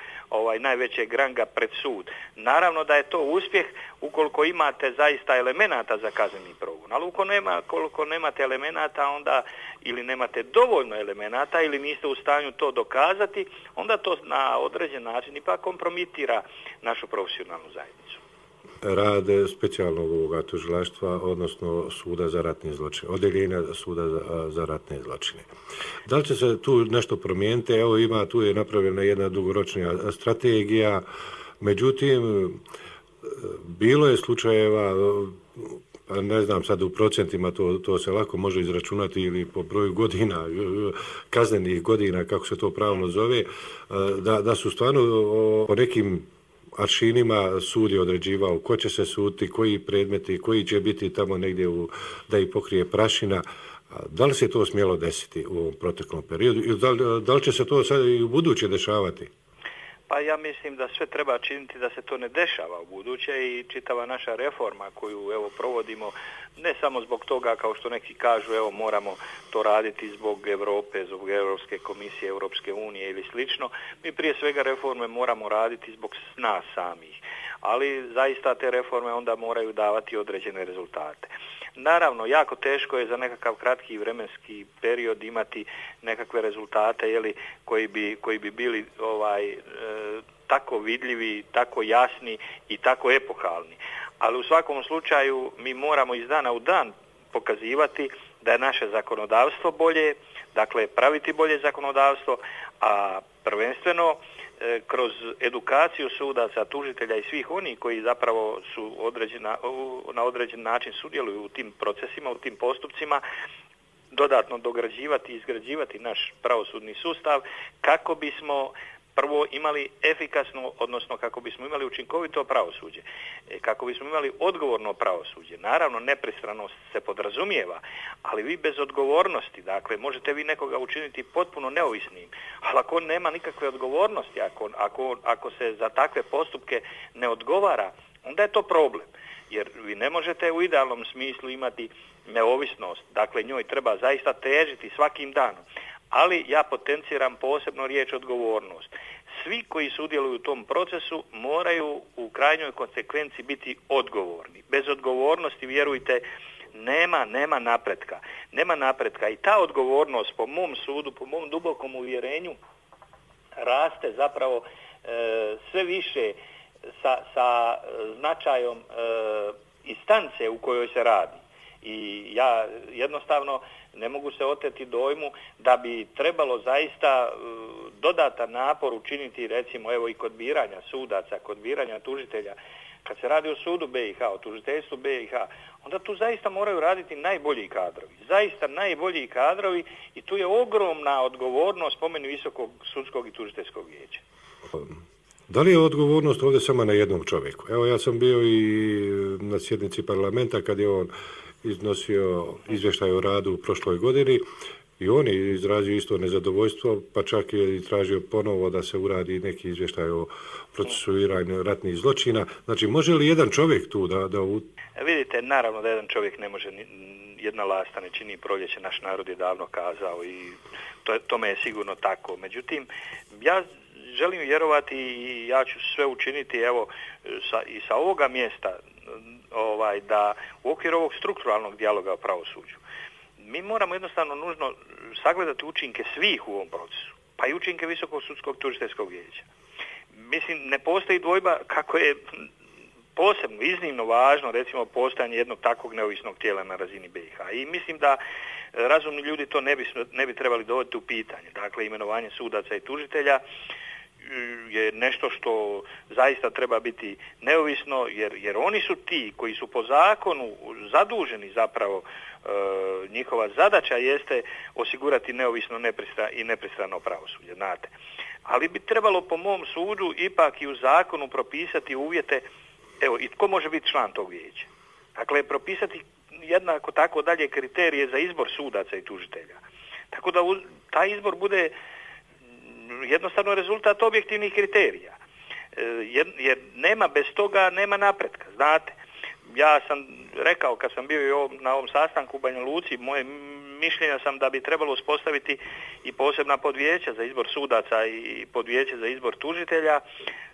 najvećeg ranga pred sud. Naravno da je to uspjeh ukoliko imate zaista elemenata za kazneni progon, ali ukoliko nemate elemenata onda ili nemate dovoljno elemenata ili niste u stanju to dokazati, onda to na određen način ipak kompromitira našu profesionalnu zajednicu. Rade specijalnog ovoga tužilaštva, odnosno suda za ratne zločine, odjeljenja suda za ratne zločine. Da li će se tu nešto promijeniti? Evo tu je napravljena jedna dugoročna strategija, međutim, bilo je slučajeva, ne znam sad u procentima, to se lako može izračunati ili po broju godina, kaznenih godina, kako se to pravno zove, da su stvarno po nekim aršinima sud je određivao ko će se suditi, koji predmeti, koji će biti tamo negdje da ih pokrije prašina. Da li se to smjelo desiti u ovom proteklom periodu ili da li će se to sad i u buduće dešavati? Pa ja mislim da sve treba činiti da se to ne dešava u buduće i čitava naša reforma koju provodimo ne samo zbog toga kao što neki kažu moramo to raditi zbog Europe, zbog Europske komisije, Europske unije ili slično. Mi prije svega reforme moramo raditi zbog nas samih, ali zaista te reforme onda moraju davati određene rezultate. Naravno, jako teško je za nekakav kratki vremenski period imati nekakve rezultate koji bi bili tako vidljivi, tako jasni i tako epohalni. Ali u svakom slučaju mi moramo iz dana u dan pokazivati da je naše zakonodavstvo bolje, dakle praviti bolje zakonodavstvo, a prvenstveno kroz edukaciju sudaca, tužitelja i svih onih koji zapravo su na određen način sudjeluju u tim procesima, u tim postupcima, dodatno dograđivati i izgrađivati naš pravosudni sustav kako bismo prvo imali efikasno, odnosno kako bismo imali učinkovito pravosuđe, kako bismo imali odgovorno pravosuđe. Naravno, nepristranost se podrazumijeva, ali vi bez odgovornosti, dakle, možete vi nekoga učiniti potpuno neovisnim, ali ako on nema nikakve odgovornosti, ako se za takve postupke ne odgovara, onda je to problem. Jer vi ne možete u idealnom smislu imati neovisnost, dakle, njoj treba zaista težiti svakim danom. Ali ja potenciram posebno riječ odgovornost. Svi koji sudjeluju u tom procesu moraju u krajnjoj konsekvenci biti odgovorni. Bez odgovornosti, vjerujte, nema napretka. Nema napretka i ta odgovornost po mom sudu, po mom dubokom uvjerenju, raste zapravo sve više sa značajom instance u kojoj se radi. I ja jednostavno ne mogu se oteti dojmu da bi trebalo zaista dodatan napor učiniti, recimo evo i kod biranja sudaca, kod biranja tužitelja. Kad se radi o sudu BiH, o tužiteljstvu BiH, onda tu zaista moraju raditi najbolji kadrovi. Zaista najbolji kadrovi i tu je ogromna odgovornost po meni Visokog sudskog i tužiteljskog vijeća. Da li je odgovornost ovdje samo na jednom čovjeku? Evo ja sam bio i na sjednici parlamenta kad je on iznosio izvještaj o radu u prošloj godini i on je izrazio isto nezadovoljstvo, pa čak je i tražio ponovo da se uradi neki izvještaj o procesuiranju ratnih zločina. Znači, može li jedan čovjek tu da... Vidite, naravno da jedan čovjek ne može, jedna lasta ne čini proljeće, naš narod je davno kazao i tome je sigurno tako. Međutim, ja želim vjerovati i ja ću sve učiniti evo i sa ovoga mjesta da u okviru ovog strukturalnog dijaloga o pravosuđu mi moramo jednostavno nužno sagledati učinke svih u ovom procesu, pa i učinke Visokog sudskog tužiteljskog vijeća. Mislim, ne postoji dvojba kako je posebno, iznimno važno recimo postojanje jednog takvog neovisnog tijela na razini BiH. I mislim da razumni ljudi to ne bi trebali dovoditi u pitanje. Dakle, imenovanje sudaca i tužitelja je nešto što zaista treba biti neovisno, jer oni su ti koji su po zakonu zaduženi zapravo, njihova zadaća jeste osigurati neovisno i nepristrano pravosuđe, znate. Ali bi trebalo po mom sudu ipak i u zakonu propisati uvjete, evo, i tko može biti član tog vijeća. Dakle, propisati jednako tako dalje kriterije za izbor sudaca i tužitelja. Tako da taj izbor bude jednostavno rezultat objektivnih kriterija. Jer nema bez toga, nema napretka, znate. Ja sam rekao kad sam bio na ovom sastanku u Banja Luci, moje mišljenja sam da bi trebalo uspostaviti i posebna podvijeća za izbor sudaca i podvijeće za izbor tužitelja,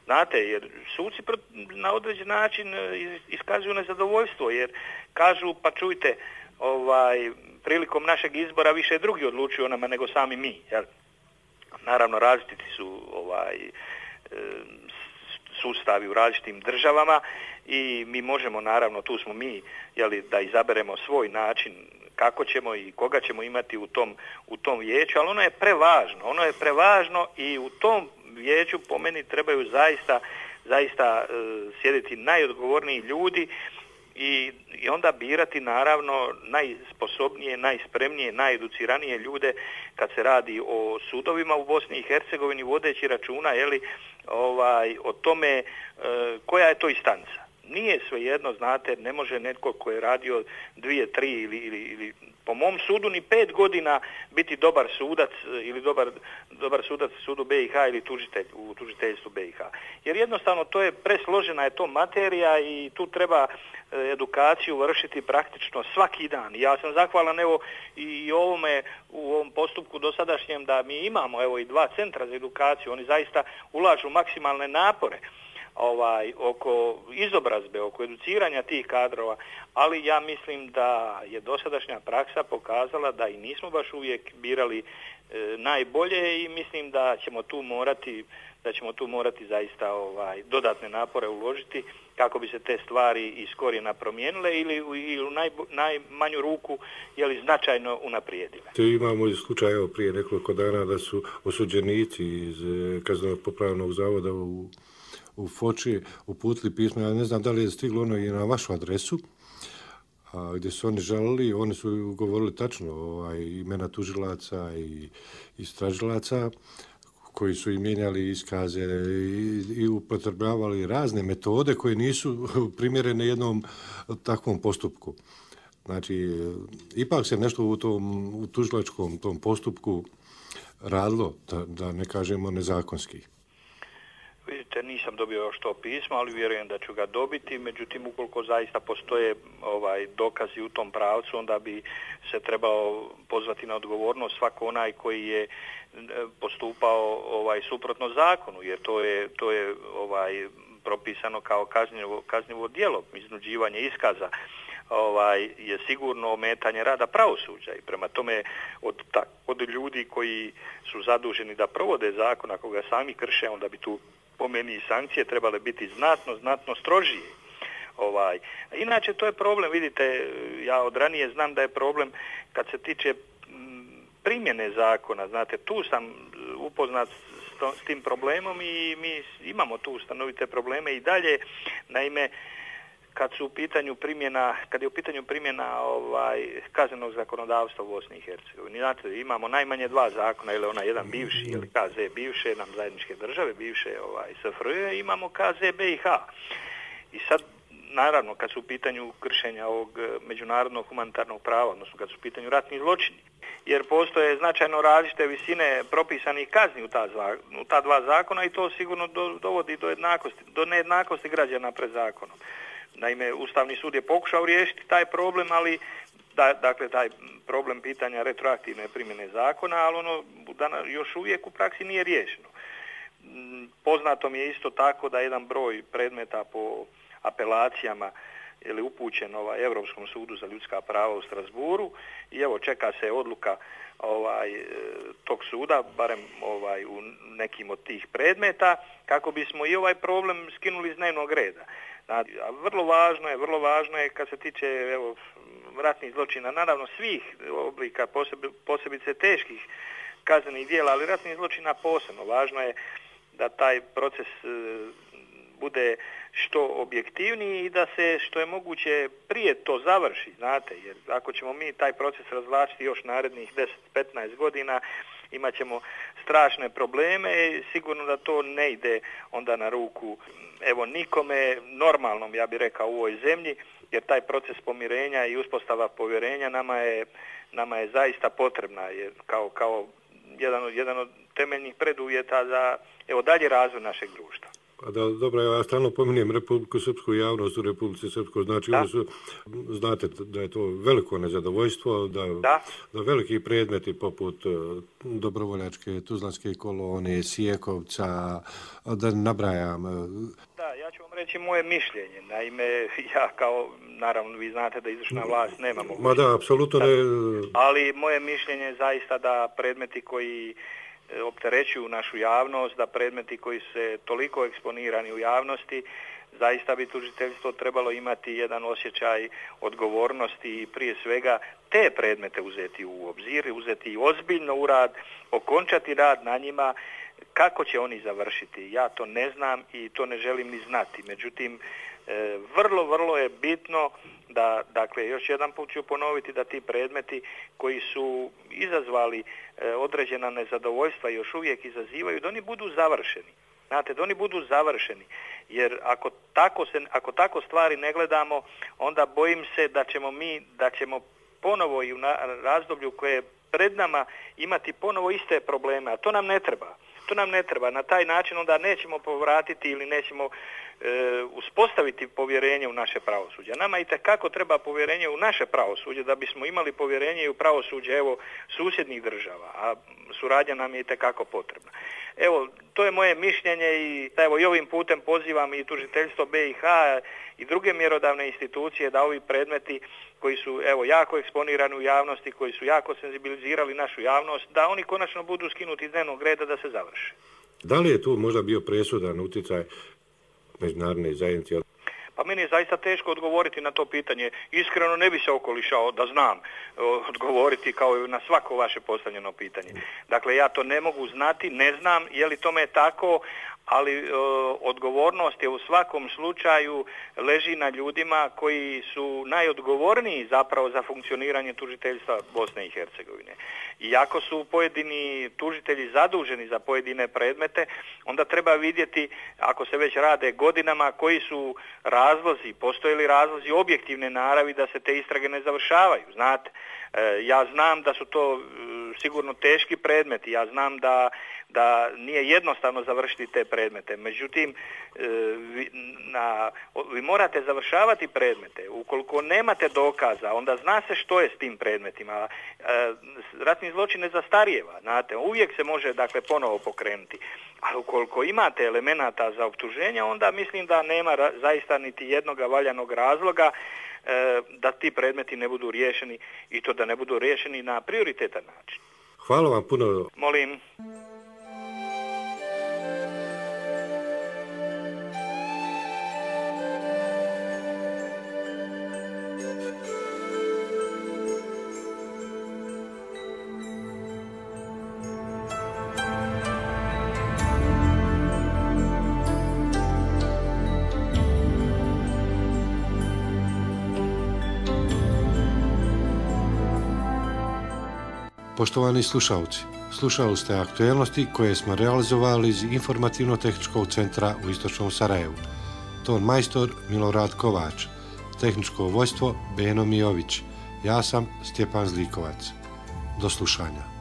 znate, jer suci na određen način iskazuju nezadovoljstvo, jer kažu, pa čujte, prilikom našeg izbora više drugi odlučuju o nama nego sami mi, jel? Naravno, različiti su sustavi u različitim državama i mi možemo, naravno, tu smo mi, da izaberemo svoj način kako ćemo i koga ćemo imati u tom vijeću, ali ono je prevažno i u tom vijeću po meni trebaju zaista sjediti najodgovorniji ljudi i onda birati naravno najsposobnije, najspremnije, najeduciranije ljude kad se radi o sudovima u Bosni i Hercegovini, vodeći računa o tome koja je to instanca. Nije svejedno, znate, ne može netko ko je radio 2, 3 ili po mom sudu ni 5 godina biti dobar sudac ili dobar sudac u sudu BiH ili tužitelj u tužiteljstvu BiH. Jer jednostavno to je presložena je to materija i tu treba edukaciju vršiti praktično svaki dan. Ja sam zahvalan evo i u ovom postupku dosadašnjem da mi imamo evo i 2 centra za edukaciju. Oni zaista ulažu maksimalne napore oko izobrazbe, oko educiranja tih kadrova, ali ja mislim da je dosadašnja praksa pokazala da i nismo baš uvijek birali najbolje i mislim da ćemo tu morati zaista dodatne napore uložiti kako bi se te stvari iz korijena promijenile ili u najmanju ruku značajno unaprijedile. Imamo slučaj prije nekoliko dana da su osuđenici iz Kaznenog popravnog zavoda u Foči uputili pismo, ja ne znam da li je stiglo ono i na vašu adresu, gdje su oni žalili, oni su govorili tačno imena tužilaca i istražilaca koji su im mijenjali iskaze i upotrebljavali razne metode koje nisu primjerene jednom takvom postupku. Znači, ipak se nešto u tužilačkom tom postupku radilo, da ne kažemo nezakonski. Vidite, nisam dobio još to pismo, ali vjerujem da ću ga dobiti. Međutim, ukoliko zaista postoje dokazi u tom pravcu, onda bi se trebao pozvati na odgovornost svako onaj koji je postupao suprotno zakonu, jer to je propisano kao kažnjivo djelo, iznuđivanje iskaza. Je sigurno ometanje rada pravosuđa i prema tome od od ljudi koji su zaduženi da provode zakon, ako ga sami krše, onda bi tu po meni i sankcije trebale biti znatno strožije. Inače, to je problem, vidite, ja od ranije znam da je problem kad se tiče primjene zakona, znate, tu sam upoznat s tim problemom i mi imamo tu stanovite probleme i dalje. Naime, kad je u pitanju primjena kaznenog zakonodavstva u Bosni i Hercegovini. Znate, imamo najmanje 2 zakona, ili onaj jedan bivši, ili KZ bivše nam zajedničke države, bivše SFRJ, imamo KZ BiH. I sad, naravno, kad su u pitanju kršenja ovog međunarodnog humanitarnog prava, odnosno kad su u pitanju ratni zločini, jer postoje značajno različite visine propisanih kazni u ta 2 zakona i to sigurno dovodi do nejednakosti građana pred zakonom. Naime, Ustavni sud je pokušao riješiti taj problem, ali dakle taj problem pitanja retroaktivne primjene zakona, ali ono još uvijek u praksi nije riješeno. Poznato mi je isto tako da jedan broj predmeta po apelacijama ili upućen Europskom sudu za ljudska prava u Strasburu i evo čeka se odluka tog suda, barem u nekim od tih predmeta, kako bismo i ovaj problem skinuli iz dnevnog reda. A vrlo važno je kad se tiče ratnih zločina, naravno svih oblika, posebice teških kaznenih djela, ali ratnih zločina posebno. Važno je da taj proces bude što objektivniji i da se što je moguće prije to završi, znate, jer ako ćemo mi taj proces razvlačiti još narednih 10-15 godina, imat ćemo strašne probleme i sigurno da to ne ide onda na ruku nikome normalnom, ja bih rekao, u ovoj zemlji, jer taj proces pomirenja i uspostava povjerenja nama je zaista potrebna, jer kao jedan od temeljnih preduvjeta za dalji razvoj našeg društva. Dobro, ja stalno pominjem Republiku Srpsku i javnost u Republici Srpskoj, znači znate da je to veliko nezadovoljstvo, da veliki predmeti poput Dobrovoljačke, Tuzlanske kolone, Sijekovca, da nabrajam. Da, ja ću vam reći moje mišljenje. Naime, ja naravno vi znate da izvršna vlast nema mogućnosti. Ma da, apsolutno ne. Ali moje mišljenje je zaista da predmeti koji opterećuju našu javnost, da predmeti koji se toliko eksponirani u javnosti, zaista bi tužiteljstvo trebalo imati jedan osjećaj odgovornosti i prije svega te predmete uzeti u obzir, uzeti ozbiljno u rad, okončati rad na njima. Kako će oni završiti? Ja to ne znam i to ne želim ni znati. Međutim, vrlo je bitno da, dakle, još jedan put ću ponoviti da ti predmeti koji su izazvali određena nezadovoljstva i još uvijek izazivaju, da oni budu završeni. Znate, da oni budu završeni. Jer ako tako stvari ne gledamo, onda bojim se da ćemo ponovo i u razdoblju koje je pred nama imati ponovo iste probleme, a to nam ne treba. To nam ne treba. Na taj način onda nećemo povratiti ili nećemo uspostaviti povjerenje u naše pravosuđe. Nama itekako treba povjerenje u naše pravosuđe da bismo imali povjerenje i u pravosuđe susjednih država, a suradnja nam je itekako potrebna. To je moje mišljenje i i ovim putem pozivam i tužiteljstvo BiH i druge mjerodavne institucije da ovi predmeti koji su jako eksponirani u javnosti, koji su jako senzibilizirali našu javnost, da oni konačno budu skinuti iz dnevnog reda da se završe. Da li je tu možda bio presudan utjecaj međunarodne zajednice? Pa meni je zaista teško odgovoriti na to pitanje. Iskreno ne bi se okolišao da znam odgovoriti kao i na svako vaše postavljeno pitanje. Dakle, ja to ne mogu znati, ne znam je li tome tako, ali odgovornost je u svakom slučaju leži na ljudima koji su najodgovorniji zapravo za funkcioniranje tužiteljstva Bosne i Hercegovine. I ako su pojedini tužitelji zaduženi za pojedine predmete, onda treba vidjeti, ako se već rade godinama, koji su razlozi, postoje li razlozi objektivne naravi da se te istrage ne završavaju, znate. Ja znam da su to sigurno teški predmeti, ja znam da nije jednostavno završiti te predmete. Međutim, vi morate završavati predmete. Ukoliko nemate dokaza, onda zna se što je s tim predmetima. Ratni zločin ne zastarijeva, znate, uvijek se može ponovo pokrenuti. Ali ukoliko imate elemenata za optuženje, onda mislim da nema zaista niti jednoga valjanog razloga da ti predmeti ne budu riješeni i to da ne budu riješeni na prioritetan način. Hvala vam puno. Molim. Poštovani slušalci, slušali ste aktuelnosti koje smo realizovali iz Informativno-tehničkog centra u Istočnom Sarajevu. Ton majstor Milorad Kovač, tehničko vojstvo Beno Mijović, ja sam Stjepan Zlikovac. Do slušanja.